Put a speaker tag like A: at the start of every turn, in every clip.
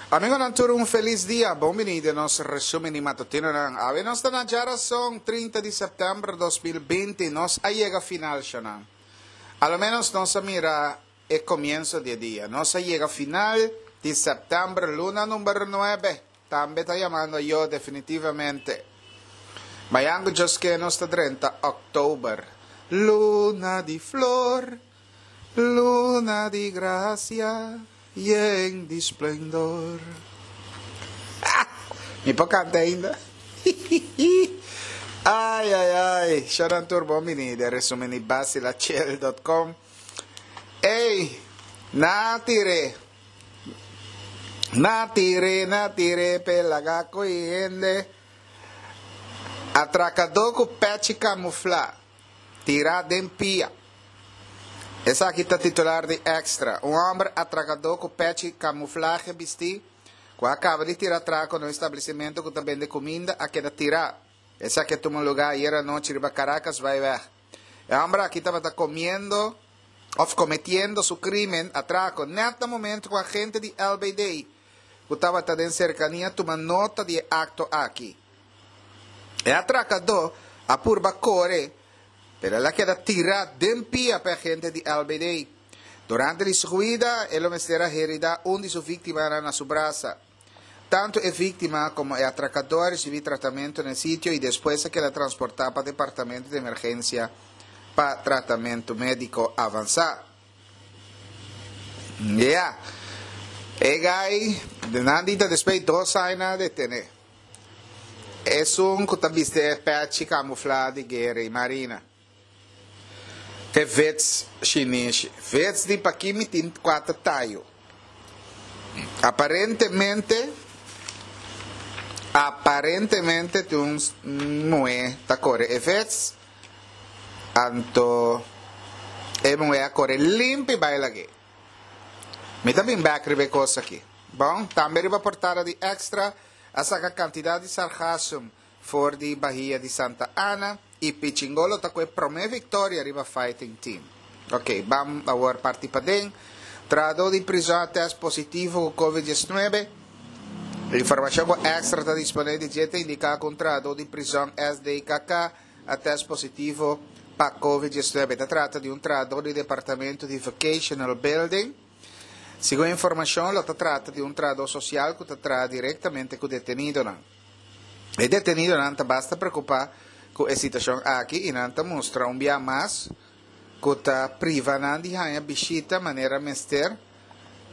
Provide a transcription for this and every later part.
A: Amigonan tur un felis dia, bon bini den nos resumen di matutinonan. Awe nos ta na djarason 30 di september 2020, nos a yega final shanan. A lo menos nos a mira e comienzo di e dia. Nos a yega final di september, luna number 9. Tambe ta yamando yo definitivamente. Mayan cu Dios ke nos ta drenta october. Luna di flor, luna di gracia, yen di splendor. Ah! Mi por canta ainda? Ay, ay, ay. Sharon Tur, bon bini den resumen di basilachel.com. Ey, na tire. Na tire, na tire, pe laga koe hende. Atrakadó ku pèchi kamuflá, tirá den pia. Esaki ta titular di Extra. Un hòmber atrakadó ku pèchi kamuflahe bistí, ku a kaba di tira atrako na un establesimentu ku ta bende kuminda, a keda tirá. Esaki a tuma lugá ayer anochi riba Caracas Vaiveg. E hòmber aki tabata komiendo òf kometiendo su krímen, atrako, nèt na momentu ku agente di LBD ku tabata den serkania tuma nota di e akto aki. E atrakadó a purba kore, pero el a keda tirá den pia pa e agente di LBD. Durante di su huida, e lo mester a heridá un di su víktimanan na su brasa. Tantu e víktima komo e atrakadó a risibí tratamentu na e sitio i despues a keda transportá pa departamento di emergensia pa tratamentu médiko avansá. Ya. E gai, nan di ta despues dos aña a detené. Esun ku ta bisti e pèchi kamuflá di guera i marina. E vets shinishi. Vets di paki mi tin kuater tayo. Aparentemente, aparentemente tin un muhé ta kore e vets, anto e muhé a kore limpi bai lag'é. Mi ta bin bek riba e kos aki. Bon, tambe riba portada di Extra a saka kantidat di sargasum For di Bahia di Santa Ana y Pichingolo ta cu e prome victoria riba Fighting Team. Ok, bam awor parti paden. Trahador di prizon a test positivo cu Covid 19. Informacion cu Extra ta dispone di dje ta indica cu un trahador di prizon SDKK a test positivo pa Covid 19. Ta trata di un trahador di departamento di Vocational Building. Segun informacion lo ta trata di un trahador social cu ta traha directamente cu detenidonan. E detenidonan ta basta preokupá ku e situashon aki i nan ta mustra un bia mas ku ta priva nan di haña bishita manera mester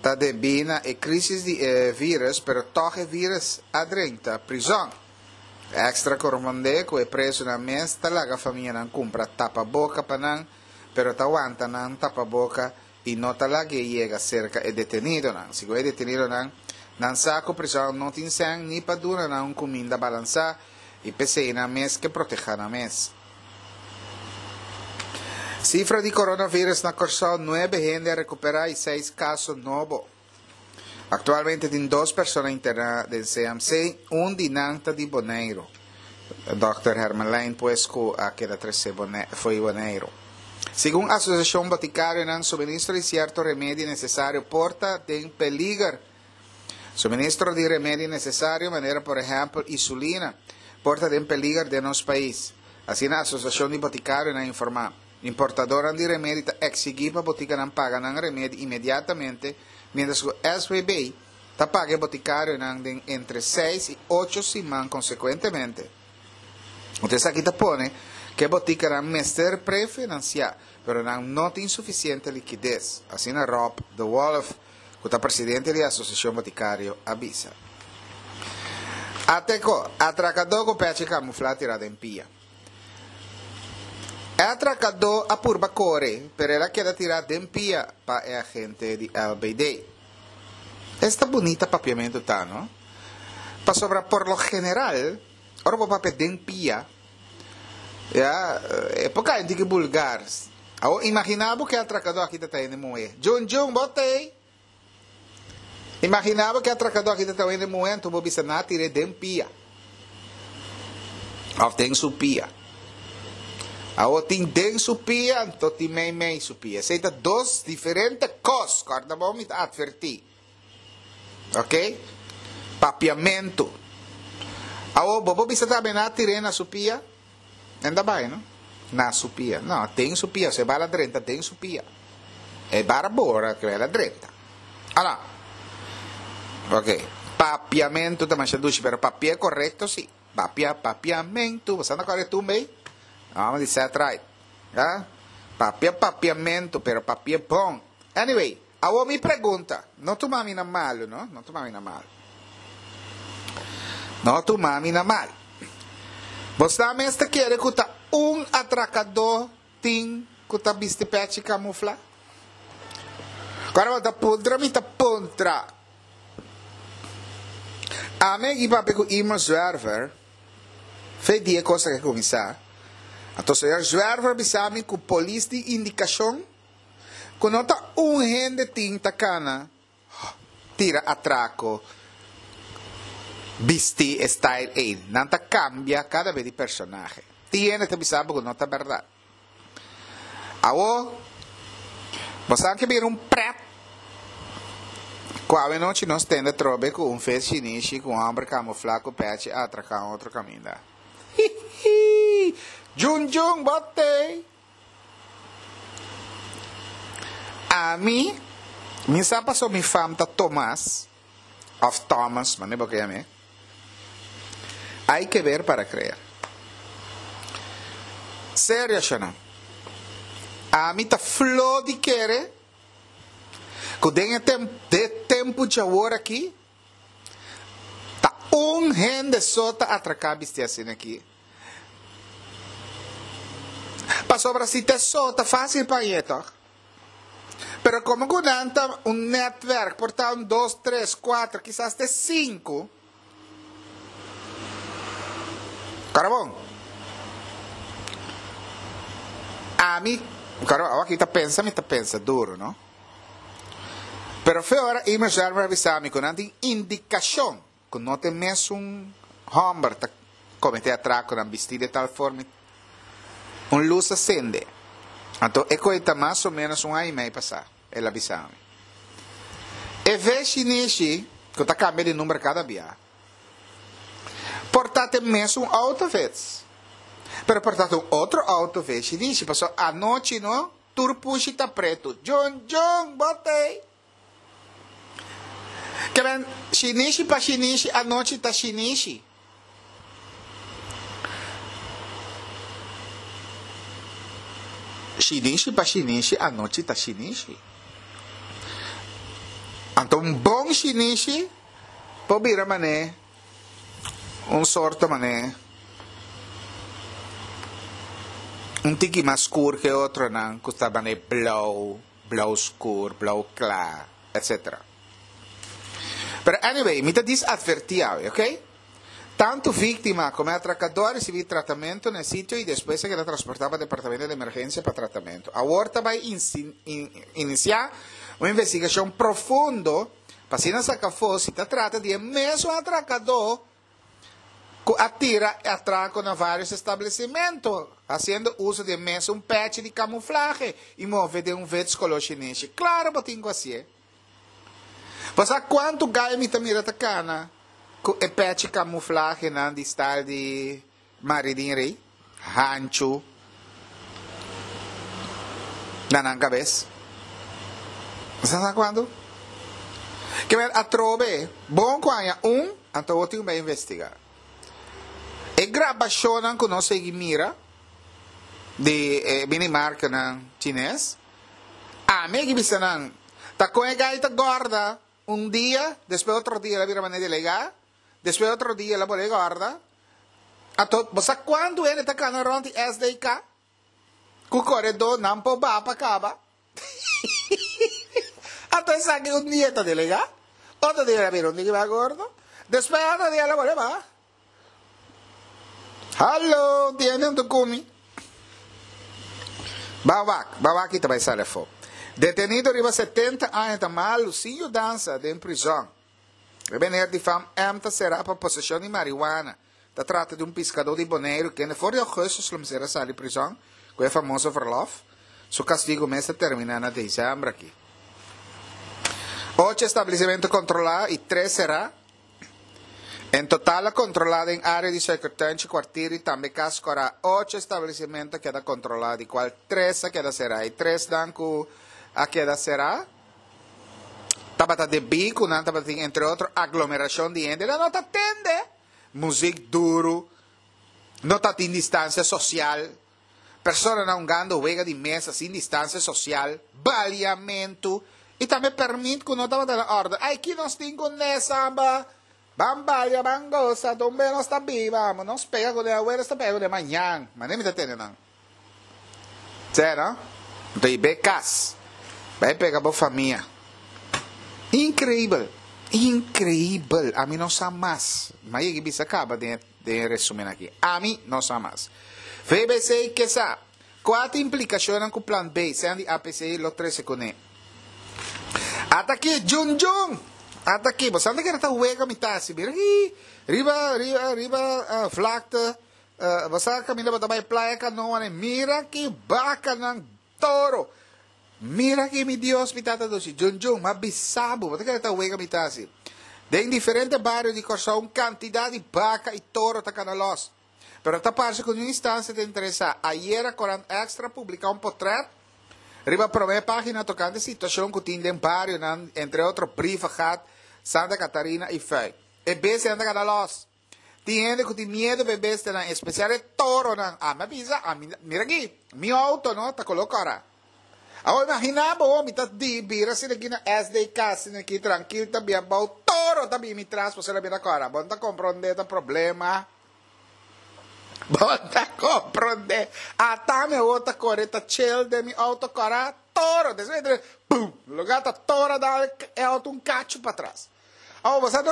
A: ta debí na e krísis di e vírus pero tòg e vírus a drenta prizòn. Extra korespondé ku e prezunan mes ta laga famianan kumpra tapaboka pa nan pero ta wanta nan tapaboka i no ta lag'é yega serka e detenidonan. Segun e detenidonan, nan sa ku prizòn no tin sèn ni pa duna nan un kuminda balansá i p'esei nan mes ke protehá nan mes. Sifra di coronavirus na Kòrsou, nuebe hende a rekuperá i seis kaso nobo. Aktualmente tin dos persona interná den CMC, un di nan ta di Boneiru. Dòkter Hermelijn pues ku a keda tresé fo'i Boneiru. Segun Asosiashon Botikarionan, suministro di sierto remedi nesesario por ta den peliger. Suministro di remedi nesesario manera por ehèmpel isulina por ta den peliger den nos pais. Asina Asosiashon di Botikarionan a informá. Importadornan di remedi ta eksigí pa botikanan paga nan remedi inmediatamente, miéntras ku SVB ta paga e botikarionan den entre seis i ocho siman konsekuentemente. Anto esaki ta pone ku e botikanan mester prefinansiá, pero nan no tin sufisiente likides, asina Rob de Wolf, ku ta presidente di e Asosiashon Botikario, a bisa. Ateko, atrakadó ku pechi kamuflá tirá den pia. E atrakadó a purba kore, pero el a keda tirá den pia pa e agente di LBD. Esta bunita papiamentu ta, no? Pasobra por lo general, ora bo papia den pia, ya, e por kai un tiki bulgar. Awor, imaginá bo ku e atrakadó aki ta ta hende muhé. Djun djun, bo t'ei? Imaginá bo ku e atrakadó aki ta ta un hende muhé anto bo bisa nan a tir'é den pia òf den su pia. Awor tin den su pia anto tin meimei su pia. Esei ta dos diferente kos. Kòrda bo mi ta atvertí. Oke? Papiamentu. Awor, bo por bisa tambe nan a tir'é na su pia? Nan ta bai, no? Na su pia. No, den su pia. So e bala drenta den su pia. E bara bora ke bala drenta. Ala. Ok. Papiamentu ta masha dushi, pero papia korekto si. Papia, papiamentu. Bo sa na kòrda e tumba ei? Amo di set right. Ha? Papia papiamentu, pero papia bon. Anyway, awor mi pregunta. No tuma mi na malu, no? No tuma mi na malu. No tuma mi na mal. Bo sa mes ta kere ku ta un atrakadó tin ku ta bisti pèchi kamuflá? Kòrda bo ta puntra mi ta puntra. Ami a papia ku Irma Zwerver fe di e kos aki a kuminsá. Anto señor Zwerver a bisa mi ku polis tin indikashon ku no ta un hende tin ta kana tira atrako bisti e style ei. Nan ta kambia kada be di personahe. Tin hende ta bisa bo ku no ta bèrdat. Awo, bo sa ke bira un pret ku awenochi nos tende trobe ku un fes shinishi ku un hòmber kamuflá ku pèchi a atraká un otro kaminda. Hihi! Djun djun bo tei! Ami, mi sa paso mi fam ta Tomas, òf Thomas, manera bo ke yam'é. Hay que ver para creer. Serio shona. Ami ta flo di kere ku den e tem de tempu djawor aki ta un hende so ta atraká bisti asina aki. Pasobra si ta so ta fásil pa hañ'é tòg. Pero komo ku nan ta un nètwèrk, por ta un dos, tres, kuater, kisas te sinku. Kòrda bon. Ami, kòrda bon, awor ta pensa, mi ta pensa duru, no? Pero fe ora Irma Zwerver a bisa mi ku nan tin indikashon ku no ta e mesun hòmber ta kometé atrakonan bistí de tal forma, un lus a sende. Anto e koe ta mas o ménos un aña i mei pasá, el a bisa mi. E ve shinishi, ku ta kambia di number kada bia, por ta ta e mesun outo vets, pero por ta ta un otro outo ve shinishi, pasobra anochi no, tur pushi ta pretu. Djun djun, bo t'ei! Ke men, shinishi pa shinishi, anochi ta shinishi. Shinishi pa shinishi, anochi ta shinishi. Anto un bon shinishi por bira mané un sorto mané un tiki mas skur ke otronan ku ta mané blou. Blou skur, blou kla, etc. Pero anyway, mi ta dis atvertí awe, ok? Tantu víktima komo e atrakadó a risibí tratamentu na e sitio i despues a keda transportá pa departamento di emergensia pa tratamentu. Awor ta bai inisiá un investigashon profundo pa asina saka afó si ta trata di e mesun atrakadó ku a tira e atrako na vários establesimentu, hasiendo uso di e mesun pèchi di kamuflahe i move den un vets koló shinishi. Klaro bo tin ku hasié. Bo sa kuantu gai mi ta mira ta kana ku e pèchi kamuflahenan di style di Maridin Rey, hanchu na nan kabes. Bo sa sa kuantu? Ke men atrobe bon ku haña un, anto bo tin ku bai investigá. E grabashonnan ku nos sigui mira di e minimarkenan chines, ami a bisa nan, ta kon e gai ta gòrda un dia, despues otro dia el a bira manera di legá, Despues otro dia el a bolbe gorda. Anto bo sa cuantu hende ta cana rond di SDK? Cu coredor nan por baha pa caba. Anto esaki un dia ta delega, otro dia el a bira un diki mas gordo, despues otro dia el a bolbe baha. Hallo, tin hende hunto cu mi? Ba wak, ba wak y ta bay sali afo. Detenido riba 70 aña ta malu sin yudansa den prizon. E meneer di fam M ta será pa poseshon di marihuana. Ta trata di un piskadó di Boneiru kende for di ougùstus lo mester a sali prizòn ku e famoso verlòf. Su kastigu mes ta terminá na desèmber aki. Ocho establesimentu kontrolá i tres será. En total a kontrolá den área di Suikertuintje, Kwartier i tambe Kas Kòrá ocho establesimentu a keda kontrolá, di kual tres a keda será. E tresnan ku a keda será tabata debí ku nan tabatin entre otro aglomerashon di hende. Nan no ta tende muzik duru, no ta tin distansia sosial, personanan hungando wega di mesa sin distansia sosial, baliamentu i tambe pèrmit ku no tabata na òrde. Ai, ki nos tin ku nesamba? Ban balia, ban gosa, donbe nos ta biba, amo nos pega kuné awe, nos ta pega kuné mañan. Manera mi ta tende nan. Sè no? Anto i be kas, bai pega bo famia. Inkreibel, inkreibel, ami no sa mas. Mi a yega i bisa kaba den e den e resumen aki. Ami no sa mas. VBC ke sa kua ta implikashonnan ku Plan B, sean di APC, lo trese kuné. Ata aki, Jun Jun! Ata aki, bo sa ta kere ta wega mi ta hasi? Mira aki, riba, riba, riba vlakte, bo sa kaminda bo ta bai Playa Canoa ne, mira ki bakanan toro! Mira aki mi Dios, mi Tata dushi, Jun Jun, m'a bisa bo, bo ta kere ta wega mi ta hasi? Den diferente bario di Kòrsou un kantidat di baka i toro ta kana lòs. Pero ta parse ku niun instansia ta interesá. Ayera Korant Extra publiká un potrèt riba promé página tokante situashon ku tin den barionan, entre otro Brievengat, Santa Catarina i Fuik. E bestianan ta kada lòs. Tin hende ku tin miedu pa e bestianan, espesial e toronan. Ami a bisa, ami, mira aki, mi outo no ta koló kòrá. Awor imaginá bo, mi ta di bira asina aki na SDK, asina aki trankil ta bia bou, toro ta bini mi tras pasobra mi ta kòrá. Bo no ta komprondé ta problema. Bo ta komprondé. Ata mi awor ta kore ta chill den mi outo kòrá, toro. Despues mi ta bum! Lugá ta toro a dal e outo un kachu patras. Awor bo sa no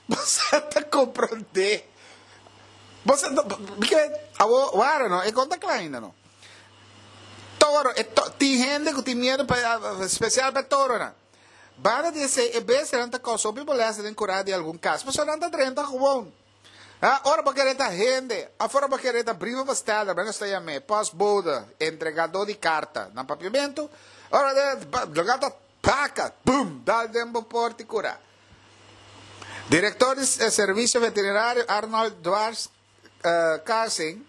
A: bo sa ta komprondé. Bo sa no awor wara no e kon ta kla ainda no. Toro e to tin hende ku tin miedu pa spesial pa e toronan. Banda di esei e bestianan ta kousa hopi molèstia den kurá di algun kas pasobra nan ta drenta gewoon. Ha ora bo kere ta hende òf ora bo kere ta brievenbesteller men nos ta yam'é postbode entregadó di karta na papiamentu ora lugá ta Baka, bum, dal den bo porta i kura. Direktor di Servisio Veterinario Arnold Dwars Karsing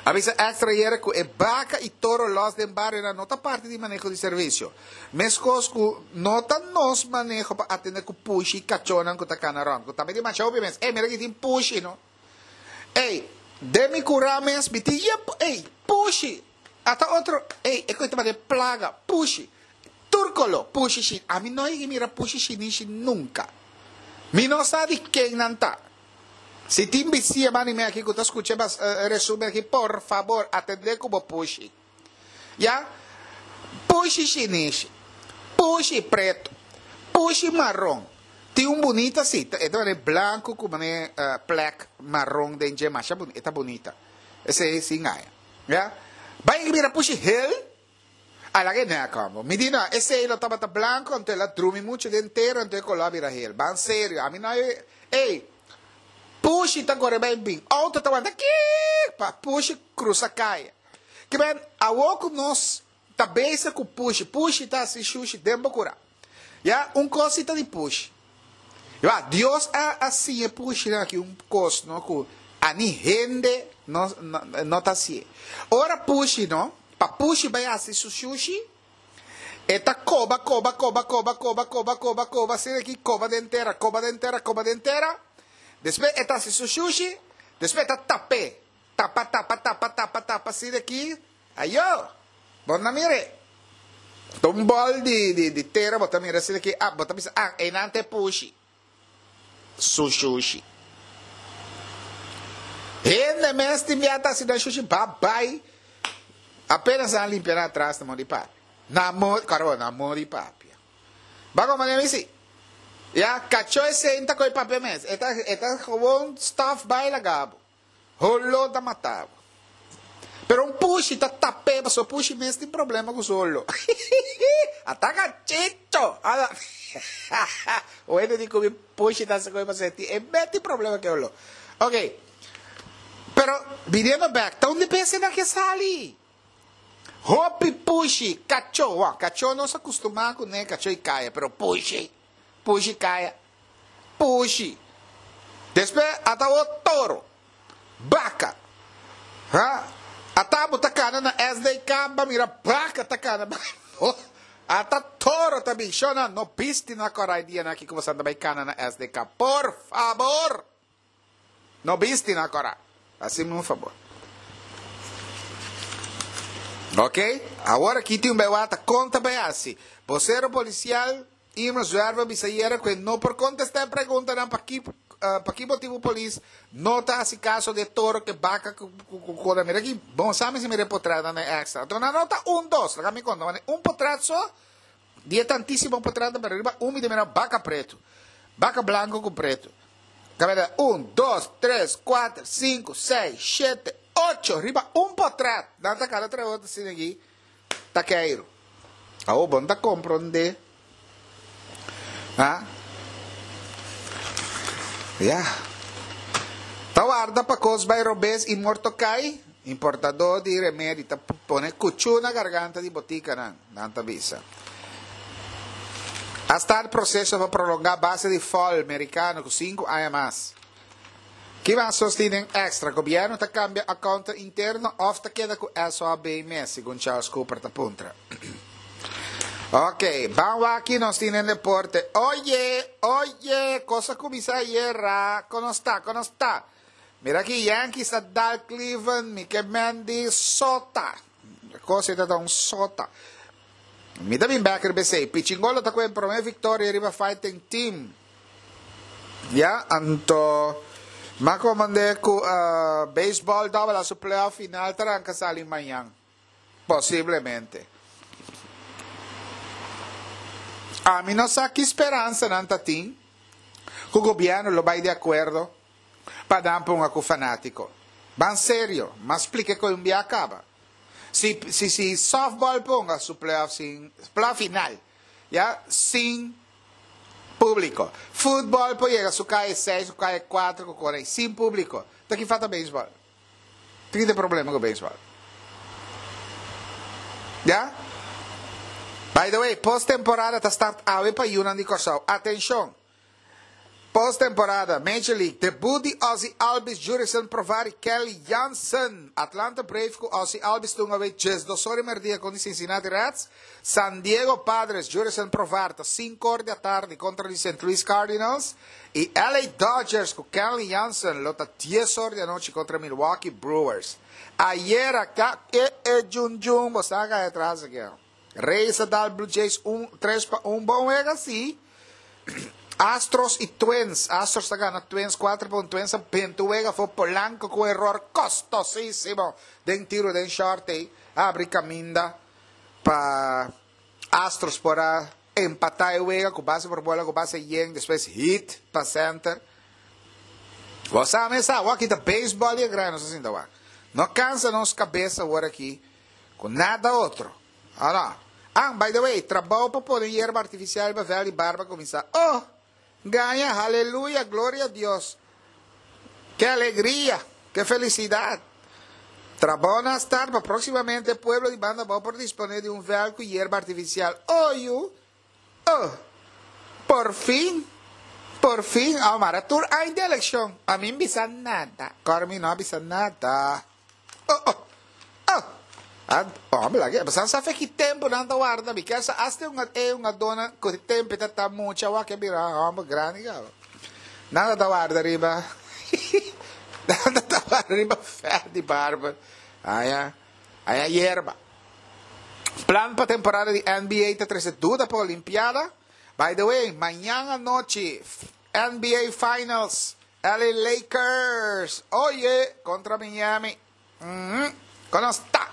A: a bisa Extra ayera ku e baka i toro lòs den barionan no ta parti di maneho di servisio. Meskos ku no ta nos maneho pa atendé ku pushi i kachónan ku ta kana rònt, ku tambe tin masha hopi mes. Ey, mira aki tin pushi no. Ey, den mi kurá mes mi tin yen, ey, pushi. Ata otro, ey, e koe ta manda e plaga, pushi. Tur kolo, pushi shi. Ami no yega mira pushi shinishi nunka. Mi no sa di ken nan ta. Si tin bisia manda mi aki ku ta skucha e resumen aki, por fabor, atendé ku bo pushi. Ya? Pushi shinishi, pushi pretu, pushi maron. Tin un bunita si, e ta manera blanku ku manera plek maron den dje, masha bunita, e ta bunita. Esei sin gaña. Ya. Bai mira pushi hel. A laga e nek homber. Mi di no, esei lo tabata blanco anto el a drumi mucho den tera anto e color a bira hel. Ban serio, ami no e Ey, pushi ta core bai bin. Auto ta wanta kiiik pa pushi crusa caya. Ke ben, awo cu nos ta bezig cu pushi, pushi ta haci shushi den bo cura. Ya, un cos si ta di pushi. Ya, Dios a a siña e pushinan aki un cos no cu ani hende no no ta hacié. Ora pushi no, pa pushi bay haci su shushi, e ta coba, coba, coba, coba, coba, coba, coba, coba, asina aki, coba den tera, coba den tera, coba den tera. Despues e ta haci su shushi, despues e ta tap'é. Tapa, tapa, tapa, tapa, tapa, asina aki. Ayo! Bo no mir'é. Ta un bòl di, di, di tera bo ta mira asina ki, ah, bo ta bisa, ah, einan ta e pushi. Su shushi. Hende mes tin bia ta hasi nan shushi, ba bai. Apenas nan a limpia nan atras na mon di papia. Na mon, kòrda bo, na mon di papia. Ba komo mi si. Ya, kachó esei ta koe papia mes. E ta, e ta gewoon stòf bai laga bo. Holo ta mata bo. Pero un pushi ta tap'é pasobra pushi mes tin problema ku su holo. Ataka chicho! Ala Wende di ku mi pushi ta hasi ku mi pasobra e mes tin problema ku e holo. Ok. Pero biniendo bek, ta un di bestianan ke sali. Hopi pushi, kachó. Wou, kachó nos a kustumá kuné, kachó i kaya, pero pushi, pushi kaya. Pushi. Despues ata awor toro. Baka. Ha? Ata bo ta kana na SDK ba mira baka ta kana bai. Ata toro ta bin. Shona, no bisti na korai dianan aki ku boso ta bai kana na SDK. Por fabor! No bisti na kora. Hasi-mi un fabor. Ok, awor aki tin un bai wata kon ta bai hasi. Bosero polisial Irma Zwerver bisa ayera ku e no por kontestá e preguntanan paki paki motibu polis no ta hasi kaso di e toro ku e baka ku ku kona. Mira aki, bon sa mi si mira e potretnan den extra. Anto nan no ta un dos, laga mi konta, wane un potret so di e tantísimo potretnan pero riba un mi ta mira baka pretu, baka blanku ku pretu. Kabeda un, dos, tres, kuater, sinku, seis, shete, ocho riba un potret. Nan ta kada tres otro asina aki ta keiru. Awor bo no ta komprondé. Ha? Ya. Ta warda pa kos bai robes i morto kai? Importadó di remedi ta pone kuchú na garganta di botikanan, nan ta bisa. A start proseso pa prolongá base di fòl merikano ku sinku aña mas. Ki mas nos tin den extra? Gobièrnu ta kambia accountant interno òf ta keda ku SOAB mes, segun Charles Cooper ta puntra. Ok, ban wak ki nos tin den deporte. Oye, oye, kos a kuminsá ayera. Kon nos ta, kon nos ta? Mira aki Yankees a dal Cleveland, mi ke men di sota. Kos ei ta ta un sota. Mi ta bin bek riba esei. Pichingolo ta ku e prome viktoria riba Fighting Team. Ya, anto m'a komand'é ku beisbòl dòbel a su playoff final ta ranka sali mañan. Posiblemente. Ami no sa ki speransa nan ta tin ku gobièrnu lo bai di akuerdo pa nan ponga ku fanátiko. Ban serio, m'a splika ku un bia kaba. Si si si sòftbòl ponga su playoff sin playoff final, ya, sin Públiko. Futbòl por yega su kaye seis ku kaye kuater ku kore sin públiko. Ta ki falta beisbòl? Ta ki ta e problema ku beisbòl? Ya? By the way, post-temporada ta start awe pa yunan di Kòrsou. Atenshon! Post-temporada, Major League, debut di Ozzie Albies, Jurickson Profar i Kenley Jansen. Atlanta Braves ku Ozzie Albies tunga away djesdos ora i merdia kontra Cincinnati Reds. San Diego Padres, Jurickson Profar ta sinkor di atardi kontra di Saint Louis Cardinals i LA Dodgers ku Kenley Jansen lo ta dies or di anochi kontra Milwaukee Brewers. Ayera ka e e djun djun bo sa ka e tras aki. Rays a dal Blue Jays un 3-1 bon wega si. Astros i Twins. Astros ta gana Twins 4-1. Twins a benta un wega for Polanco ku error kostosísimo den tiro den short ei. A abri kaminda pa Astros por a empatá e wega ku base por bola ku base yen, despues hit pa center. Bo sa mes sa, awor aki ta baseball i e gran nos a sinta wak. No kansa nos kabes awor aki ku nada otro. Ora. Ah, by the way, trabou pa pone yerba artifisial riba vèl di barba kuminsá. Oh! Gaña, haleluya, gloria a Dios. Ke alegria, ke felisidat. Trabou na start pa próksimamente e pueblo di Banda Abou por disponé di un vèlt ku yerba artifisial. Oh, yu! Oh! Por fin! Por fin! Oh, mara tur aña di elekshon. Ami n bisa nada. Kòrda mi no a bisa nada. Oh, oh! Oh! A hombre, laga e pasan sa fe ki tempu nan ta warda mi. Kier sa hasta un e un adona ku tempu ta ta mucha wak a bira homber grandi kaba. Nan ta warda riba nan ta warda riba vèlt di barber. Aya, aya yerba. Plan pa temporada di NBA ta trese duda pa Olimpiada. By the way, mañan anochi NBA Finals, LA Lakers, oye, kontra Miami. Kono sta?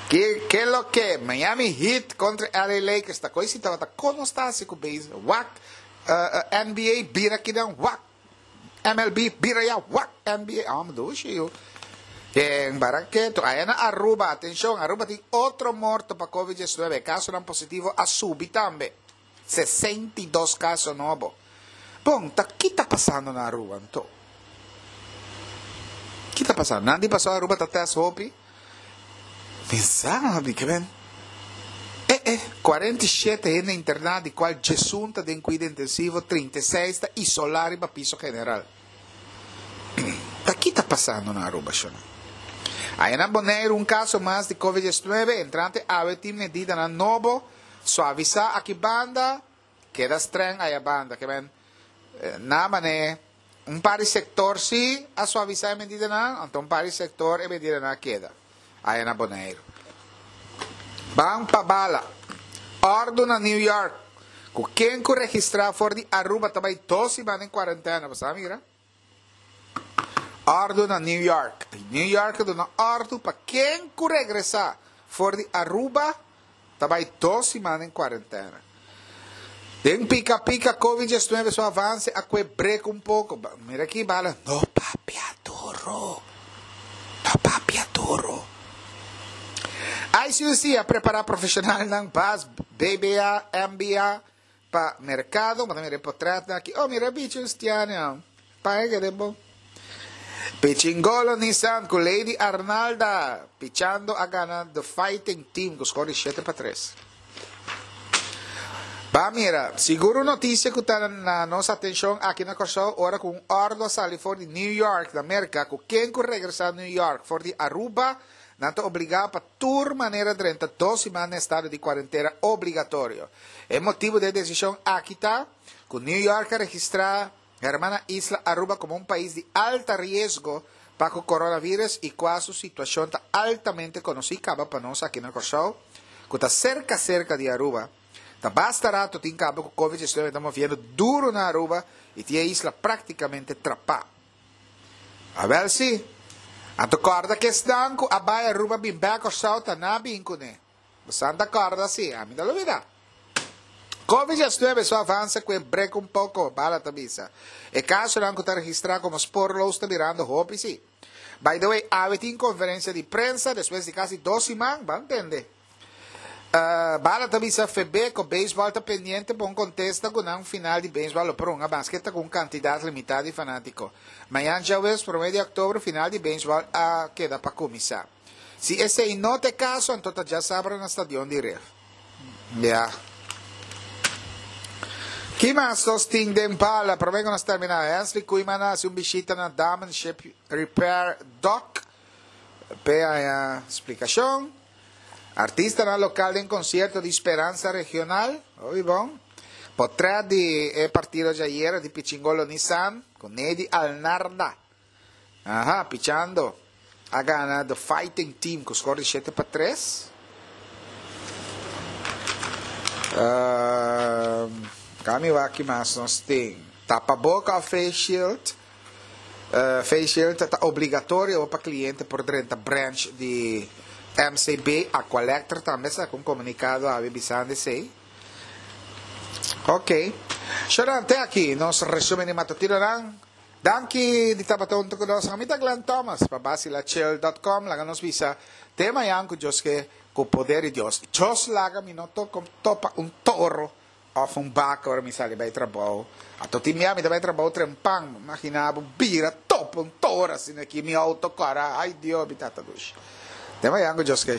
A: Ke ke lo ke? Miami Heat kontra LA Lakers ta koi si tabata kono sta hasi ku base wak NBA bira kinan wak MLB bira ya wak NBA amo dushi yu. Den Baraketo aya na Aruba atenshon Aruba tin otro morto pa covid 19 kasonan positivo a subi tambe 62 kaso nobo. Bon, ta ki ta pasando na Aruba anto? Ki ta pasando? Nan di paso Aruba ta test hopi? Mi sa, mi ke men. E. eh, 47 hende interná, di kual 11 ta den kuido intensivo, 36 ta isolá riba piso general. Ta ki ta pasando na Aruba, shona? Aya na Boneiru un kaso mas di Covid 19, entrante awe tin medidanan nobo, suavisá aki banda, keda streng aya banda. Ke men, na mane un par di sektor sí a suavisá e medidanan, anto un par di sektor e medidanan a keda aya na Boneiru. Ban pa bala. Òrdu na New York ku ken ku registrá for di Aruba ta bai dos siman den kuarentena. Bo sa mira? Òrdu na New York. New York a duna òrdu pa ken ku regresá for di Aruba ta bai dos siman den kuarentena. Den pika pika Covid 19 su avanse a kue brek un poko. Mira aki bala, no papia duro. No papia duro. ICUC a prepara profesionalnan bas BBA, MBA pa mercado. Bo ta mira e potretnan aki. Oh, mira e bichi un stiania. Paña kede bon. Pichingolo Nissan ku Lady Arnalda pichando a gana The Fighting Team ku skor di 7-3. Ba mira, sigur un notisia ku ta na nos atenshon aki na Kòrsou ora ku un òrdu a sali for di New York na Merka ku ken ku regresá New York for di Aruba nan ta obligá pa tur manera drenta dos siman den estado di kuarentena obligatorio. E motibu di e desishon aki ta ku New York a registrá Hermana isla Aruba komo un pais di alta riesgo pa ku coronavirus i kua su situashon ta altamente konosí kaba pa nos aki na Kòrsou, ku ta serka serka di Aruba. Ta basta rato tin kaba ku Covid 19 ta moviendo duru na Aruba i tin e isla praktikamente trapá. Awèl si, anto kòrda ku esnan ku a bai Aruba bin bèk Kòrsou ta na bin kuné. Bosan ta kòrda si, ami ta lubidá. Covid 19 su avanse ku e brek un poko, Bala ta bisa. E kasonan ku ta registrá komo spoorloos ta birando hopi si. By the way, awe tin konferensia di prensa despues di kasi dos siman, ban tende. Bala ta bisa Febeko beisbòl ta pendiente pa un kontesta ku nan final di beisbòl lo por hunga maske ta ku un kantidat limitá di fanátiko. Mañan djaweps promé di òktober final di beisbòl a keda pa kuminsá. Si esei no ta e kaso, anto ta djasabra na stadion di Rif. Ya. Ki mas nos tin den bala? Promé ku nos terminá, Hensley Koeiman a hasi un bishita na Damen Ship Repair Dock p'e haña splikashon. Artistanan lokal den konsierto di Speransa Regional. Hopi bon. Potrèt di e partido djayera di Pichingolo Nissan ku Nedy Alnarda. Aha, pichando a gana The Fighting Team ku skor di 7-3. Uh, kami wak ki mas nos tin. Tapaboka of face shield. Face shield ta obligatorio pa kliente por drenta branch di MCB. Aqualectra tambe saka un komunikado awe bisando esei. Ok. Sharon, te aki nos resumen di matutinonan. Danki di tabata hunto ku nos. Ami ta Glenn Thomas pa Basilachill dot com. Laga nos bisa te mañan ku Dios ke ku poder di Dios. Dios laga mi no topa un toro of un baka ora mi sali bai trabou. Ato tin bia mi ta bai trabou trempan. Imagina bo bira topa un toro asina aki mi auto kora. Ay Dios mi tata dushi. Te mañan ku Dios ke.